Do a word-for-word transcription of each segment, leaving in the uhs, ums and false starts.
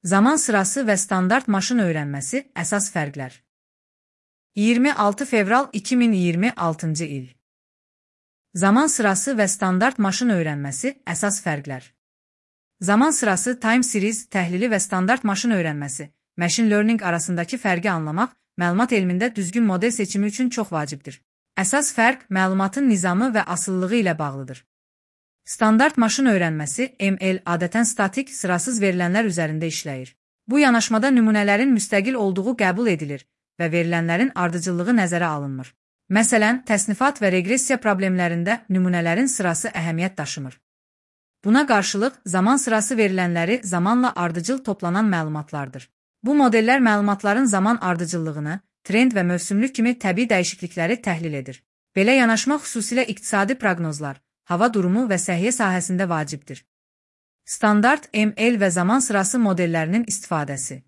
Zaman sırası və standart maşın öyrənməsi əsas fərqlər. iyirmi altı fevral iki min iyirmi altıncı il. Zaman sırası və standart maşın öyrənməsi əsas fərqlər. Zaman sırası time series təhlili və standart maşın öyrənməsi, machine learning arasındakı fərqi anlamaq, məlumat elmində düzgün model seçimi üçün çox vacibdir. Əsas fərq məlumatın nizamı və asılılığı ilə bağlıdır. Standart maşın öyrənməsi M L adətən statik, sırasız verilənlər üzərində işləyir. Bu yanaşmada nümunələrin müstəqil olduğu qəbul edilir və verilənlərin ardıcıllığı nəzərə alınmır. Məsələn, təsnifat və reqressiya problemlərində nümunələrin sırası əhəmiyyət daşımır. Buna qarşılıq, zaman sırası verilənləri zamanla ardıcıl toplanan məlumatlardır. Bu modellər məlumatların zaman ardıcıllığını, trend və mövsümlük kimi təbii dəyişiklikləri təhlil edir. Belə yanaşma xüsusilə iqtisadi proqnozlar, hava durumu və səhiyyə sahəsində vacibdir. Standart M L və zaman sırası modellərinin istifadəsi.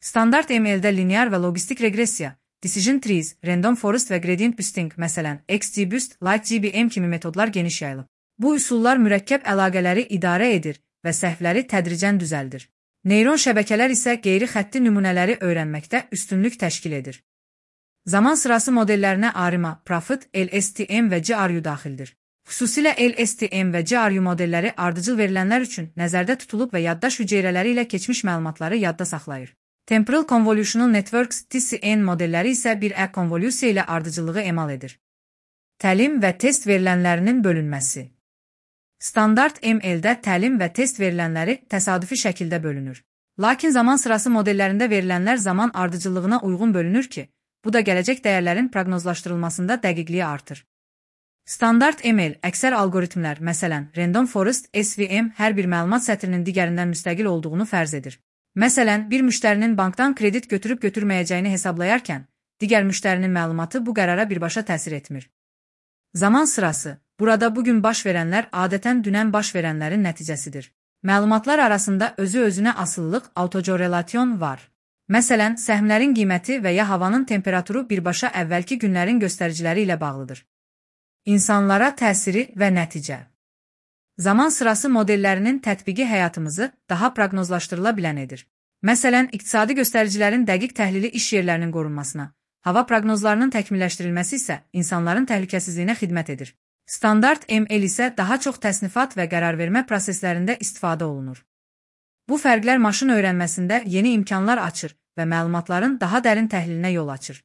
Standart M L-də linear və logistik reqressiya, decision trees, random forest və gradient boosting, məsələn, X G boost, like G B M kimi metodlar geniş yayılıb. Bu üsullar mürəkkəb əlaqələri idarə edir və səhvləri tədricən düzəldir. Neyron şəbəkələr isə qeyri-xətti nümunələri öyrənməkdə üstünlük təşkil edir. Zaman sırası modellərinə A R I M A, Profit, L S T M və G R U daxildir. Xüsusilə L S T M və G R U modelləri ardıcıl verilənlər üçün nəzərdə tutulub və yaddaş hüceyrələri ilə keçmiş məlumatları yadda saxlayır. Temporal Convolutional Networks T C N modelləri isə bir ə konvolyusiya ilə ardıcıllığı emal edir. Təlim və test verilənlərinin bölünməsi. Standart M L-də təlim və test verilənləri təsadüfi şəkildə bölünür. Lakin zaman sırası modellərində verilənlər zaman ardıcıllığına uyğun bölünür ki, bu da gələcək dəyərlərin proqnozlaşdırılmasında dəqiqliyi artır. Standart M L, əksər algoritmlər, məsələn, Random Forest, S V M, hər bir məlumat sətrinin digərindən müstəqil olduğunu fərz edir. Məsələn, bir müştərinin bankdan kredit götürüb götürməyəcəyini hesablayarkən, digər müştərinin məlumatı bu qərara birbaşa təsir etmir. Zaman sırası, burada bugün baş verənlər adətən dünən baş verənlərin nəticəsidir. Məlumatlar arasında özü-özünə asılılıq, autocorrelasyon var. Məsələn, səhmlərin qiyməti və ya havanın temperaturu birbaşa əvvəlki günlərin göstəriciləri ilə bağlıdır. İnsanlara təsiri və nəticə. Zaman sırası modellərinin tətbiqi həyatımızı daha proqnozlaşdırıla bilən edir. Məsələn, iqtisadi göstəricilərin dəqiq təhlili iş yerlərinin qorunmasına, hava proqnozlarının təkmilləşdirilməsi isə insanların təhlükəsizliyinə xidmət edir. Standart M L isə daha çox təsnifat və qərarvermə proseslərində istifadə olunur. Bu fərqlər maşın öyrənməsində yeni imkanlar açır və məlumatların daha dərin təhlilinə yol açır.